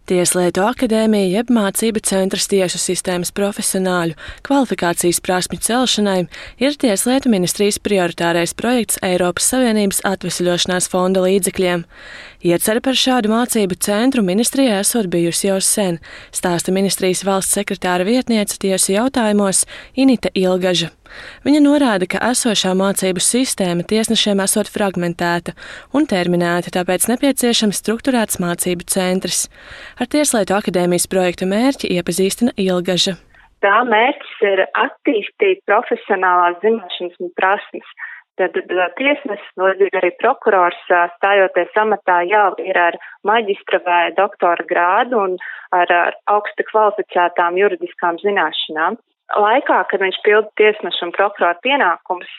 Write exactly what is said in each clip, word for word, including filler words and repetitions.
Tieslietu akadēmija jeb mācību centrs tiesu sistēmas profesionāļu kvalifikācijas prasmju celšanai ir Tieslietu ministrijas prioritārais projekts Eiropas Savienības atvesļošanās fonda līdzekļiem. Iecere par šādu mācību centru ministrijā esot bijusi jau sen, stāsta ministrijas valsts sekretāra vietniece tiesu jautājumos Inita Ilgaža. Viņa norāda, ka esošā mācību sistēma tiesnešiem esot fragmentēta un terminēta, tāpēc nepieciešams strukturēts mācību centrs. Ar Tieslietu akadēmijas projektu mērķi iepazīstina Ilgaža. Tā mērķis ir attīstīt profesionālās zināšanas un prasmes. Tad tiesnesis, līdzīgi arī prokurors, stājoties amatā, jau ir ar maģistra vai doktora grādu un ar, ar augsti kvalificētām juridiskām zināšanām. Laikā, kad viņš pilda tiesneša un prokurora pienākumus,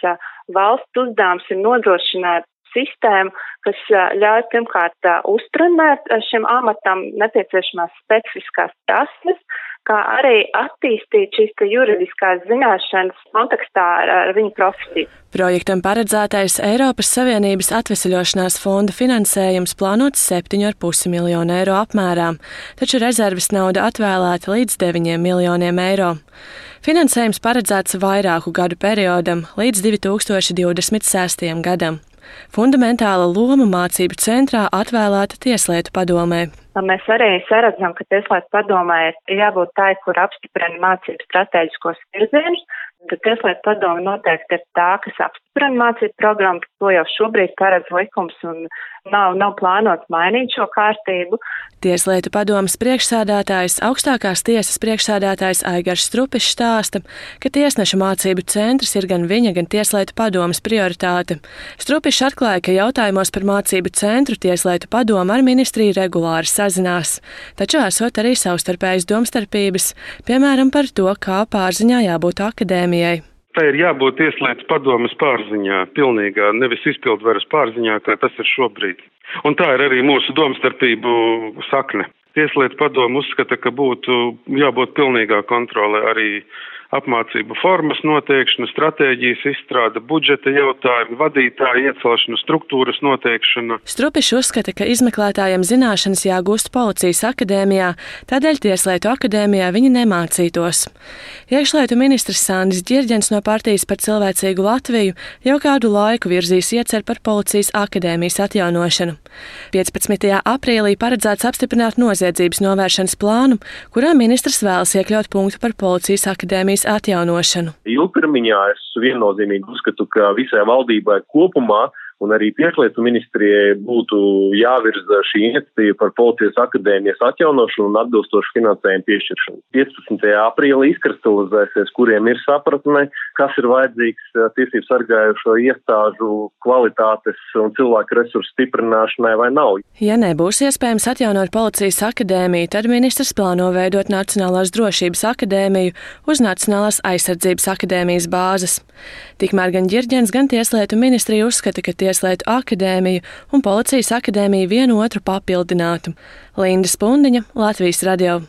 valsts uzdevums ir nodrošināt sistēmu, kas ļauj pirmkārt uztrenēt šim amatam nepieciešamās specifiskās prasmes, kā arī attīstīt šīs juridiskās zināšanas kontekstā ar, ar viņu profesiju. Projektam paredzētais Eiropas Savienības atvesļošanās fonda finansējums plānots septiņu ar pusi miljonu eiro apmērā, taču rezerves nauda atvēlēta līdz deviņiem miljoniem eiro. Finansējums paredzēts vairāku gadu periodam līdz divi tūkstoši divdesmit sestajam gadam. Fundamentāla loma mācību centrā atvēlēta Tieslietu padomē. Mēs arī saredzam, ka Tieslietu padomē ir jābūt tai, kur apstiprina mācību stratēģiskos virzienus. Tad Tieslietu padome noteikti ir tā, kas apstiprina mācību programmu, to jau šobrīd paredz likums un nav, nav plānots mainīt šo kārtību. Tieslietu padomes priekšsēdētājs, augstākās tiesas priekšsēdētājs Aigars Strupišs stāsta, ka tiesneša mācību centrs ir gan viņa, gan Tieslietu padomes prioritāte. Strupišs atklāja, ka jautājumos par mācību centru Tieslietu padome ar ministriju regulāri sazinās, taču esot arī savstarpējas domstarpības, piemēram par to, kā pārziņā jābūt akadēmijai. Tā ir jābūt Tieslietu padomes pārziņā, pilnīgā, nevis izpildvaras pārziņā, kā tas ir šobrīd. Un tā ir arī mūsu domstarpību sakne. Tieslietu padome uzskata, ka būtu jābūt pilnīgā kontrole arī apmācību formas noteikšana, stratēģijas izstrāde, budžeta jautājumi, vadītāju iecelšana, struktūras noteikšana. Strupišs uzskata, ka izmeklētājiem zināšanas jāgūst Policijas akadēmijā, tādēļ Tieslietu akadēmijā viņi nemācītos. Iekšlietu ministrs Sandis Ģirģens no partijas Par cilvēcīgu Latviju jau kādu laiku virzīs ieceru par Policijas akadēmijas atjaunošanu. piecpadsmitajā aprīlī paredzēts apstiprināt noziedzības novēršanas plānu, kurā ministrs vēlas iekļaut punktu par Policijas akadēmijas atjaunošanu. Ilgtermiņā es viennozīmīgi uzskatu, ka visai valdībai kopumā un arī Tieslietu ministrijai būtu jāvirza šī iniciatīva par Policijas akadēmijas atjaunošanu un atbilstošu finansējumu piešķiršanu. piecpadsmitajā aprīlī izkristalizēsies, kuriem ir sapratne, kas ir vajadzīgs tiesību sargājušo iestāžu kvalitātes un cilvēku resursu stiprināšanai vai nav. Ja nebūs iespējams atjaunot Policijas akadēmiju, tad ministrs plāno veidot Nacionālās drošības akadēmiju uz Nacionālās aizsardzības akadēmijas bāzes. Tikmēr gan Ģirģens, gan Tieslietu ministrija uzskata, ka Tieslietu akadēmiju un Policijas akadēmiju vienu otru papildinātu. Linda Spundiņa, Latvijas radio.